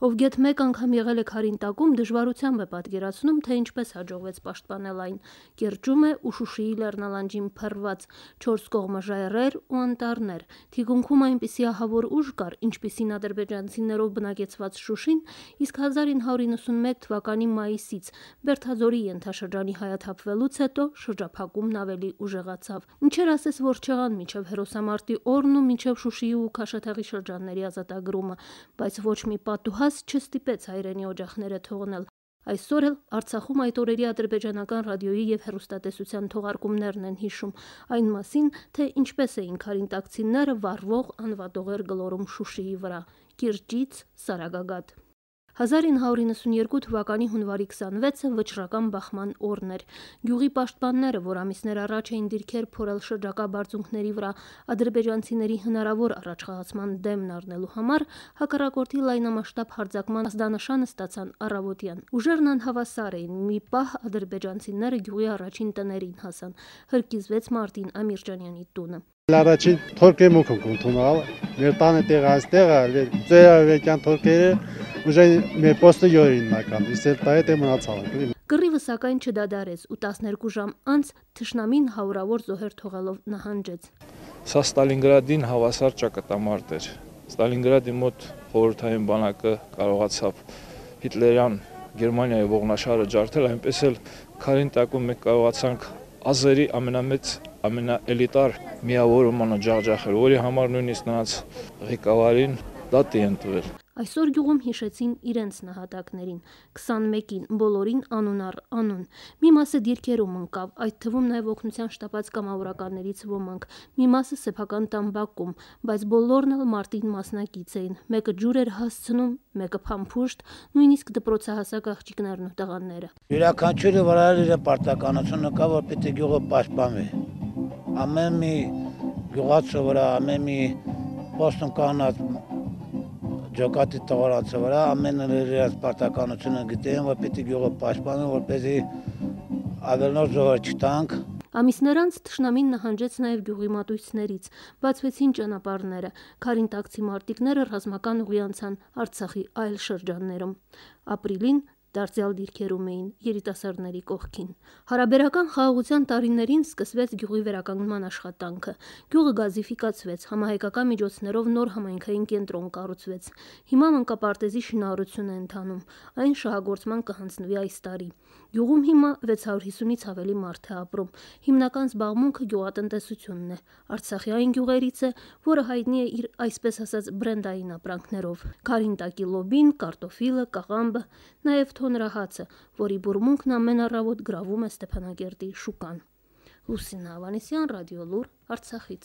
Ով գեթ մեկ անգամ եղել է Քարինտակում, դժվարությամբ է պատկերացնում, թե ինչպես հաջողվեց պաշտպանել այն։ Կիրճում է ու Շուշիի լեռնալանջին փռված 4 կողմը ժայռեր ու անտառներ։ Թիկունքում այնպիսի ահավոր ուժ կար, ինչպիսին ադրբեջանցիներով բնակեցված Շուշին, իսկ 1991 թվականի մայիսից Բերթաձորի ենթաշրջանի հայաթափվելուց հետո շրջափակումն ավելի ուժեղացավ։ Ինչեր ասես որ չեղան մինչև հերոսամարտի օրն ու մինչև Շուշիի ու Քաշաթաղի շրջանների ազատագրումը, բայց ոչ մի պատուհաս չստիպեց հայրենի օջախները թողնել։ Այսօր էլ Արցախում այդ օրերի ադրբեջանական ռադիոյի եւ հեռուստատեսության թողարկումներն են հիշում այն մասին, թե ինչպես էին քարինտակցիները վառվող անվատողեր գլորում Շուշիի վրա, կիրճից Սարագագաթ։ 1992 թվականի հունվարի 26-ը վճռական բախման օրն էր։ Գյուղի պաշտպանները, որ ամիսներ առաջ էին դիրքեր փորել շրջակա բարձունքների վրա ադրբեջանցիների հնարավոր առաջխաղացման դեմն առնելու համար, հակառակորդի լայնամասշտաբ հարձակման ազդանշանը ստացան առավոտյան։ Ուժերն անհավասար էին, մի պահ ադրբեջանցիները գյուղի առաջին տներին հասան, հրկիզվեց Մարտին Ամիրջանյանի տունը։ Առաջին թորքեր մուքն ընդունալ, մեր տանը տեղը այստեղ է, ծերավեկյան թորքերը ուժը մեր պոստը յորին նական, իսկ դա է մնացալ։ Կռիվը սակայն չդադարեց ու 12 ժամ անց թշնամին հարյուրավոր զոհեր թողելով նահանջեց։ Սա Ստալինգրադին հավասար ճակատամարտ էր։ Ստալինգրադի մոտ խորհրդային բանակը կարողացավ հիտլերյան Գերմանիայի ողնաշարը ջարդել, այնպես էլ Քարինտակում մենք կարողացանք ազերի ամենամեծ ամենաէլիտար միավորումը ջախջախել, որի համար նույնիսկ նրանց ղեկավարին դատի են տվել։ Այսօր գյուղում հիշեցին իրենց նահատակներին, 21-ին, բոլորին անուն առ անուն։ Մի մասը դիրքերում ընկավ, այդ թվում նաև օգնության շտապած կամավորականներից ոմանք, մի մասը սեփական տամբակում, բայց բոլորն էլ մարտին մասնակից էին։ Մեկը ջուր էր հասցնում, մեկը փամփուշտ, նույնիսկ դպրոցահասակ աղջիկներն ու տղաները։ Յուրաքանչյուրը վրա իր պարտականությունը կա, որ պիտի գյուղը պաշտպանվի։ Ամեն մի գյուղացու վրա, ամեն մի պոստում կանած ջոկատի տղարանցի վրա ամենը իրենց պարտականությունը գիտեն, որ պիտի գյուղը պաշտպանեն, որպեսզի ավելնոր զոհեր չտանք։ Ամիսներ անց թշնամին նահանջեց նաև գյուղի մատույցներից, բացվեցին ճանապարհները, քարինտակցի մարտիկները ռազմական ուղի անցան Արցախի այլ շրջաններում։ Ապրիլին դարձյալ դիրքերում էին երիտասարդների կողքին։ Հարաբերական խաղաղության տարիներին սկսվեց գյուղի վերականգնման աշխատանքը։ Գյուղը գազիֆիկացվեց, համահայկական միջոցներով նոր համայնքային կենտրոն կառուցվեց։ Հիմա մանկապարտեզի շինարարություն է ընթանում, այն շահագործման կհանձնվի այս տարի։ Գյուղում հիմա 650-ից ավելի մարդ է ապրում։ Հիմնական զբաղմունքը գյուղատնտեսությունն է։ Արցախի այն գյուղերից է, որը հայտնի է իր այսպես ասած բրենդային ապրանքներով։ Քարինտակի լոբին, կարտոֆիլը, կաղամբը, նաև թոնրահացը, որի բուրմունքն ամեն առավոտ գրավում է Ստեփանակերտի շուկան։ Լուսինա Ավանեսյան, Ռադիոլուր, Արցախից։